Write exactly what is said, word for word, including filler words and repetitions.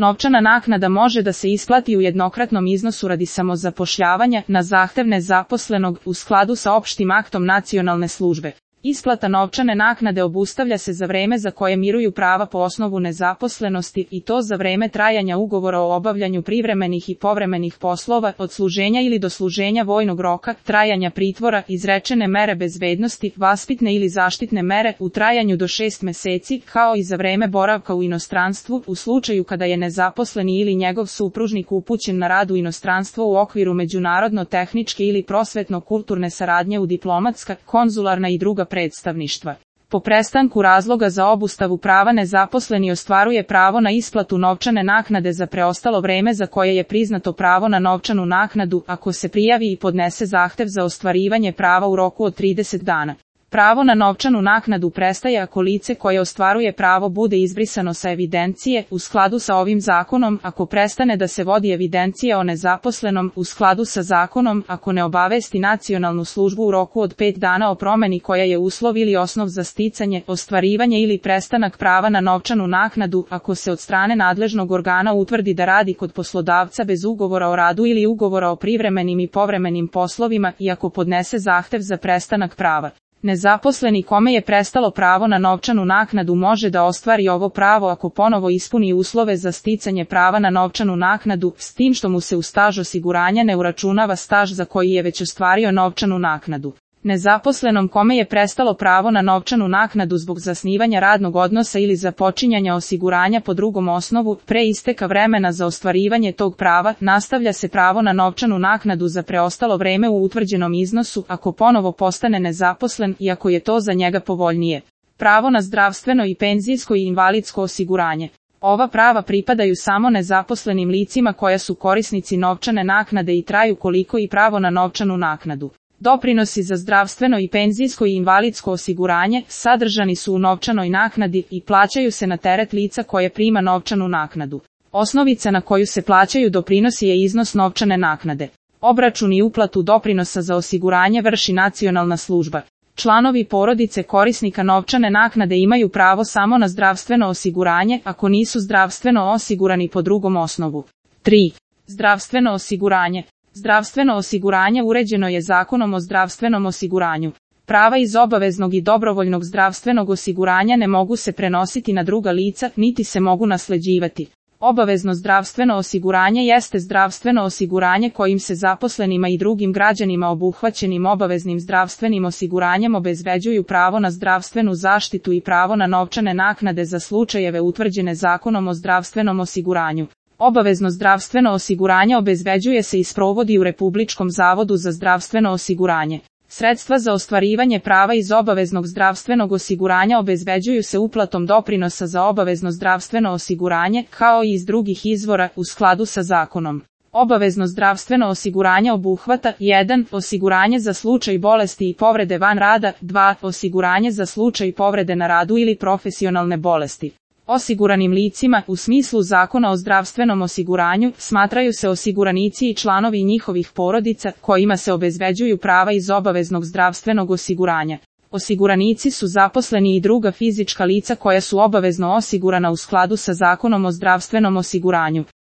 Novčana naknada može da se isplati u jednokratnom iznosu radi samozapošljavanja na zahtev nezaposlenog u skladu sa opštim aktom nacionalne službe. Isplata novčane naknade obustavlja se za vreme za koje miruju prava po osnovu nezaposlenosti i to za vreme trajanja ugovora o obavljanju privremenih i povremenih poslova, odsluženja ili dosluženja vojnog roka, trajanja pritvora, izrečene mere bezbednosti, vaspitne ili zaštitne mere u trajanju do šest meseci, kao i za vreme boravka u inostranstvu, u slučaju kada je nezaposleni ili njegov supružnik upućen na rad u inostranstvo u okviru međunarodno-tehničke ili prosvetno-kulturne saradnje u diplomatska, konzularna i druga predstavništva. Po prestanku razloga za obustavu prava nezaposleni ostvaruje pravo na isplatu novčane naknade za preostalo vreme za koje je priznato pravo na novčanu naknadu ako se prijavi i podnese zahtev za ostvarivanje prava u roku od trideset dana. Pravo na novčanu naknadu prestaje ako lice koje ostvaruje pravo bude izbrisano sa evidencije u skladu sa ovim zakonom, ako prestane da se vodi evidencija o nezaposlenom u skladu sa zakonom, ako ne obavesti nacionalnu službu u roku od pet dana o promeni koja je uslov ili osnov za sticanje, ostvarivanje ili prestanak prava na novčanu naknadu, ako se od strane nadležnog organa utvrdi da radi kod poslodavca bez ugovora o radu ili ugovora o privremenim i povremenim poslovima i ako podnese zahtev za prestanak prava. Nezaposleni kome je prestalo pravo na novčanu naknadu može da ostvari ovo pravo ako ponovo ispuni uslove za sticanje prava na novčanu naknadu, s tim što mu se u staž osiguranja ne uračunava staž za koji je već ostvario novčanu naknadu. Nezaposlenom kome je prestalo pravo na novčanu naknadu zbog zasnivanja radnog odnosa ili započinjanja osiguranja po drugom osnovu, pre isteka vremena za ostvarivanje tog prava, nastavlja se pravo na novčanu naknadu za preostalo vreme u utvrđenom iznosu ako ponovo postane nezaposlen i ako je to za njega povoljnije. Pravo na zdravstveno i penzijsko i invalidsko osiguranje. Ova prava pripadaju samo nezaposlenim licima koja su korisnici novčane naknade i traju koliko i pravo na novčanu naknadu. Doprinosi za zdravstveno i penzijsko i invalidsko osiguranje sadržani su u novčanoj naknadi i plaćaju se na teret lica koje prima novčanu naknadu. Osnovica na koju se plaćaju doprinosi je iznos novčane naknade. Obračun i uplatu doprinosa za osiguranje vrši nacionalna služba. Članovi porodice korisnika novčane naknade imaju pravo samo na zdravstveno osiguranje ako nisu zdravstveno osigurani po drugom osnovu. tri. Zdravstveno osiguranje. Zdravstveno osiguranje uređeno je Zakonom o zdravstvenom osiguranju. Prava iz obaveznog i dobrovoljnog zdravstvenog osiguranja ne mogu se prenositi na druga lica, niti se mogu nasleđivati. Obavezno zdravstveno osiguranje jeste zdravstveno osiguranje kojim se zaposlenima i drugim građanima obuhvaćenim obaveznim zdravstvenim osiguranjem obezbeđuju pravo na zdravstvenu zaštitu i pravo na novčane naknade za slučajeve utvrđene Zakonom o zdravstvenom osiguranju. Obavezno zdravstveno osiguranje obezbeđuje se i sprovodi u Republičkom zavodu za zdravstveno osiguranje. Sredstva za ostvarivanje prava iz obaveznog zdravstvenog osiguranja obezbeđuju se uplatom doprinosa za obavezno zdravstveno osiguranje, kao i iz drugih izvora, u skladu sa zakonom. Obavezno zdravstveno osiguranje obuhvata jedan. Osiguranje za slučaj bolesti i povrede van rada, dva. Osiguranje za slučaj povrede na radu ili profesionalne bolesti. Osiguranim licima, u smislu Zakona o zdravstvenom osiguranju, smatraju se osiguranici i članovi njihovih porodica, kojima se obezbeđuju prava iz obaveznog zdravstvenog osiguranja. Osiguranici su zaposleni i druga fizička lica koja su obavezno osigurana u skladu sa Zakonom o zdravstvenom osiguranju.